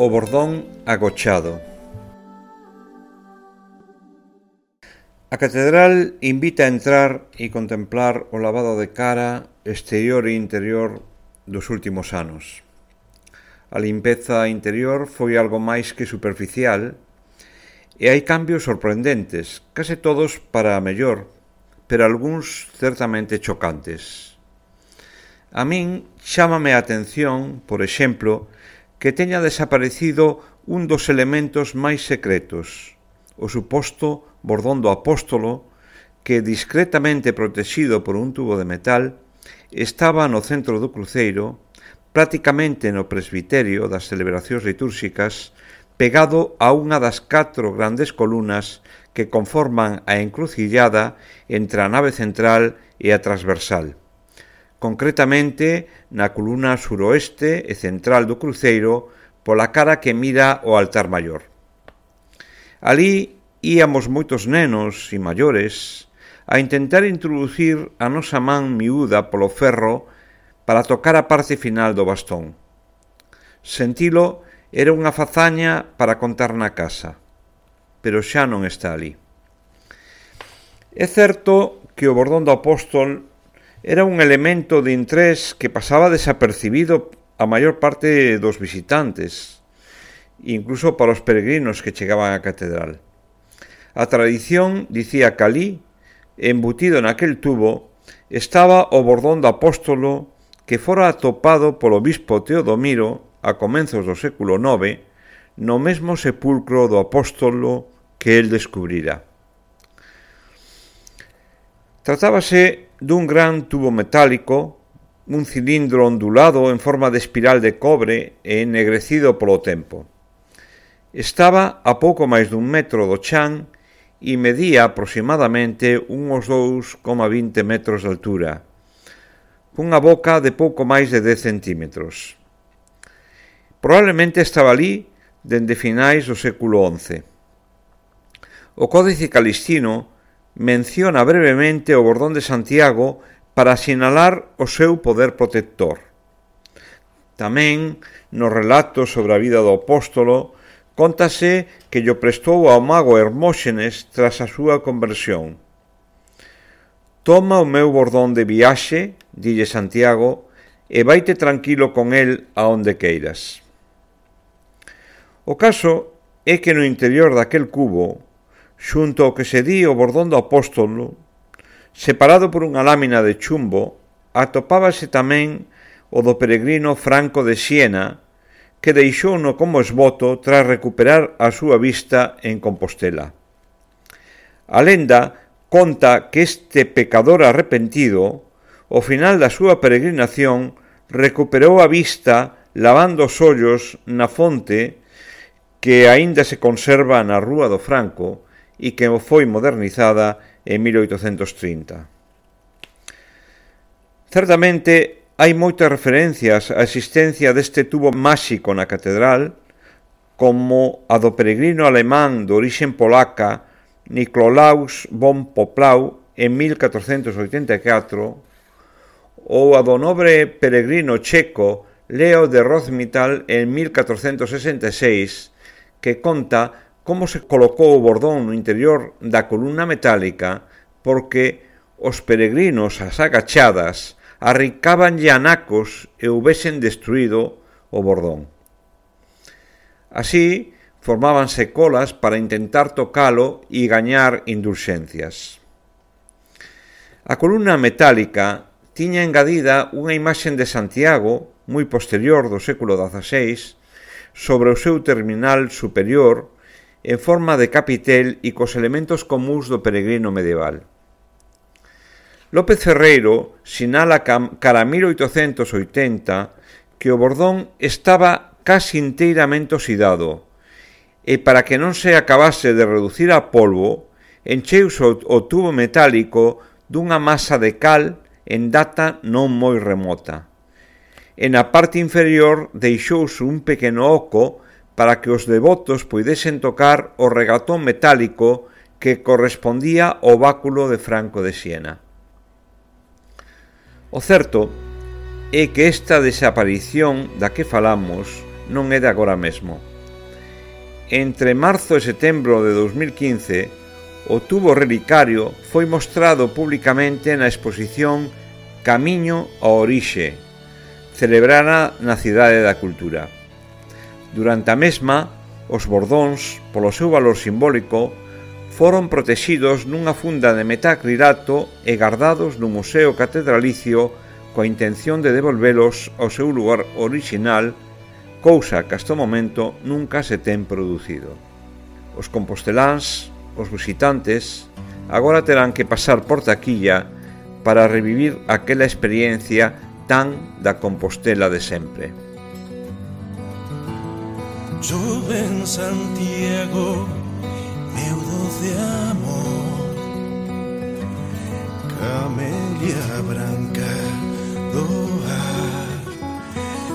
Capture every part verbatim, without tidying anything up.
O bordón agochado. A catedral invita a entrar e contemplar o lavado de cara exterior e interior dos últimos anos. A limpeza interior foi algo máis que superficial e hai cambios sorprendentes, case todos para a mellor, pero algúns certamente chocantes. A min chámame a atención, por exemplo, que teña desaparecido un dos elementos máis secretos, o suposto bordón do apóstolo, que, discretamente protexido por un tubo de metal, estaba no centro do cruceiro, prácticamente no presbiterio das celebracións litúrxicas, pegado a unha das catro grandes columnas que conforman a encrucillada entre a nave central e a transversal. Concretamente na columna suroeste e central do cruceiro, pola cara que mira o altar maior. Alí íamos moitos nenos e maiores a intentar introducir a nosa man miúda polo ferro para tocar a parte final do bastón. Sentilo era unha fazaña para contar na casa, pero xa non está ali. É certo que o bordón do apóstol era un elemento de interés que pasaba desapercibido a maior parte dos visitantes, incluso para os peregrinos que chegaban á catedral. A tradición dicía que alí, embutido naquel tubo, estaba o bordón do apóstolo que fora atopado polo bispo Teodomiro a comenzos do século nove no mesmo sepulcro do apóstolo que el descubrira. Tratábase dun gran tubo metálico, un cilindro ondulado en forma de espiral de cobre e ennegrecido polo tempo. Estaba a pouco máis dun metro do chan e medía aproximadamente uns dous coma vinte metros de altura, cunha boca de pouco máis de dez centímetros. Probablemente estaba ali dende finais do século once. O Códice Calixtino menciona brevemente o bordón de Santiago para sinalar o seu poder protector. Tamén, no relato sobre a vida do apóstolo, cóntase que llo prestou ao mago Hermóxenes tras a súa conversión. Toma o meu bordón de viaxe, dille Santiago, e vaite tranquilo con el a onde queiras. O caso é que no interior daquel cubo, xunto ao que se di o bordón do apóstolo, separado por unha lámina de chumbo, atopábase tamén o do peregrino Franco de Siena, que deixouno como esboto tras recuperar a súa vista en Compostela. A lenda conta que este pecador arrepentido, ao final da súa peregrinación, recuperou a vista lavando os ollos na fonte que aínda se conserva na Rúa do Franco e que foi modernizada en mil oitocentos trinta. Certamente, hai moitas referencias á existencia deste tubo máxico na catedral, como a do peregrino alemán de orixe polaca Nicolaus von Poplau en mil catrocentos oitenta e catro, ou a do nobre peregrino checo Leo de Rozmital en mil catrocentos sesenta e seis, que conta como se colocou o bordón no interior da columna metálica porque os peregrinos ás agachadas arrincabanlle anacos e houbesen destruído o bordón. Así, formábanse colas para intentar tocalo e gañar indulxencias. A columna metálica tiña engadida unha imaxe de Santiago, moi posterior do século dezaseis, sobre o seu terminal superior, en forma de capitel e cos elementos comúns do peregrino medieval. López Ferreiro sinala cara a mil oitocentos oitenta que o bordón estaba casi inteiramente oxidado e para que non se acabase de reducir a polvo, encheuse o tubo metálico dunha masa de cal en data non moi remota. E na parte inferior deixouse un pequeno oco para que os devotos puidesen tocar o regatón metálico que correspondía ao báculo de Franco de Siena. O certo é que esta desaparición da que falamos non é de agora mesmo. entre marzo e setembro de dos mil quince, o tubo relicario foi mostrado publicamente na exposición Camiño ao Orixe, celebrada na Cidade da Cultura. Durante a mesma, os bordóns, polo seu valor simbólico, foron protexidos nunha funda de metacrilato e guardados no Museo Catedralicio coa intención de devolvelos ao seu lugar orixinal, cousa que hasta o momento nunca se ten producido. Os composteláns, os visitantes, agora terán que pasar por taquilla para revivir aquela experiencia tan da Compostela de sempre. Chove en Santiago, meu doce amor, camelia branca do ar,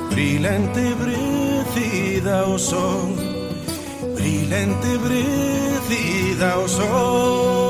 brilante brecida o sol, brilante brecida o sol.